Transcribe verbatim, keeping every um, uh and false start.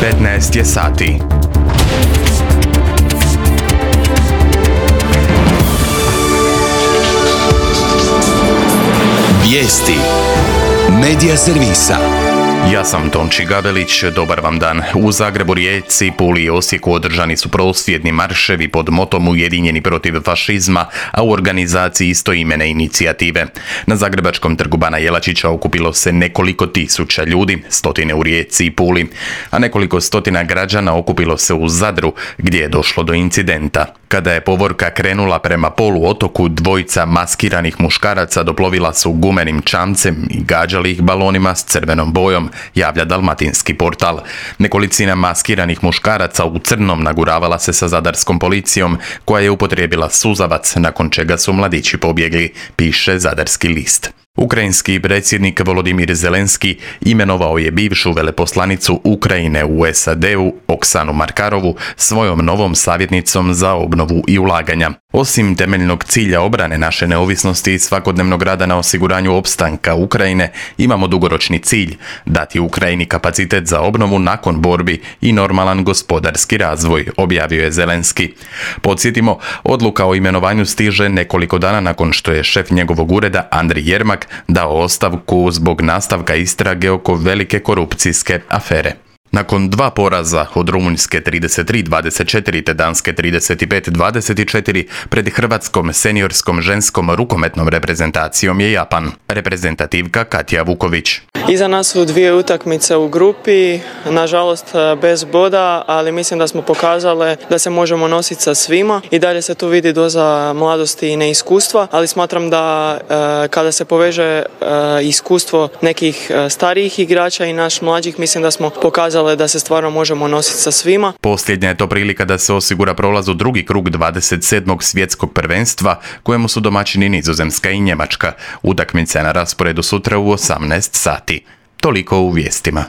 petnaest je sati. Vijesti Medija servisa. Ja sam Tonči Gavelić, dobar vam dan. U Zagrebu, Rijeci, Puli i Osijeku održani su prosvjedni marševi pod motom Ujedinjeni protiv fašizma, a u organizaciji istoimene inicijative. Na Zagrebačkom trgu Bana Jelačića okupilo se nekoliko tisuća ljudi, stotine u Rijeci i Puli, a nekoliko stotina građana okupilo se u Zadru, gdje je došlo do incidenta. Kada je povorka krenula prema poluotoku, dvojica maskiranih muškaraca doplovila su gumenim čamcem i gađali ih balonima s crvenom bojom, javlja Dalmatinski portal. Nekolicina maskiranih muškaraca u crnom naguravala se sa zadarskom policijom, koja je upotrijebila suzavac, nakon čega su mladići pobjegli, piše Zadarski list. Ukrajinski predsjednik Volodimir Zelenski imenovao je bivšu veleposlanicu Ukrajine u S A D-u Oksanu Markarovu svojom novom savjetnicom za obnovu i ulaganja. Osim temeljnog cilja obrane naše neovisnosti i svakodnevnog rada na osiguranju opstanka Ukrajine, imamo dugoročni cilj dati Ukrajini kapacitet za obnovu nakon borbi i normalan gospodarski razvoj, objavio je Zelenski. Podsjetimo, odluka o imenovanju stiže nekoliko dana nakon što je šef njegovog ureda Andrij Jermak dao ostavku zbog nastavka istrage oko velike korupcijske afere. Nakon dva poraza od Rumunjske trideset tri dvadeset četiri te Danske trideset pet dvadeset četiri pred hrvatskom seniorskom ženskom rukometnom reprezentacijom je Japan. Reprezentativka Katja Vuković. Iza nas su dvije utakmice u grupi, nažalost bez boda, ali mislim da smo pokazali da se možemo nositi sa svima i dalje se tu vidi doza mladosti i neiskustva, ali smatram da e, kada se poveže e, iskustvo nekih starijih igrača i naš mlađih, mislim da smo pokazali da se stvarno možemo nositi sa svima. Posljednja je to prilika da se osigura prolaz u drugi krug dvadeset sedmog svjetskog prvenstva, kojemu su domaćini Nizozemska i Njemačka. Utakmica je na rasporedu sutra u osamnaest sati. Toliko u vijestima.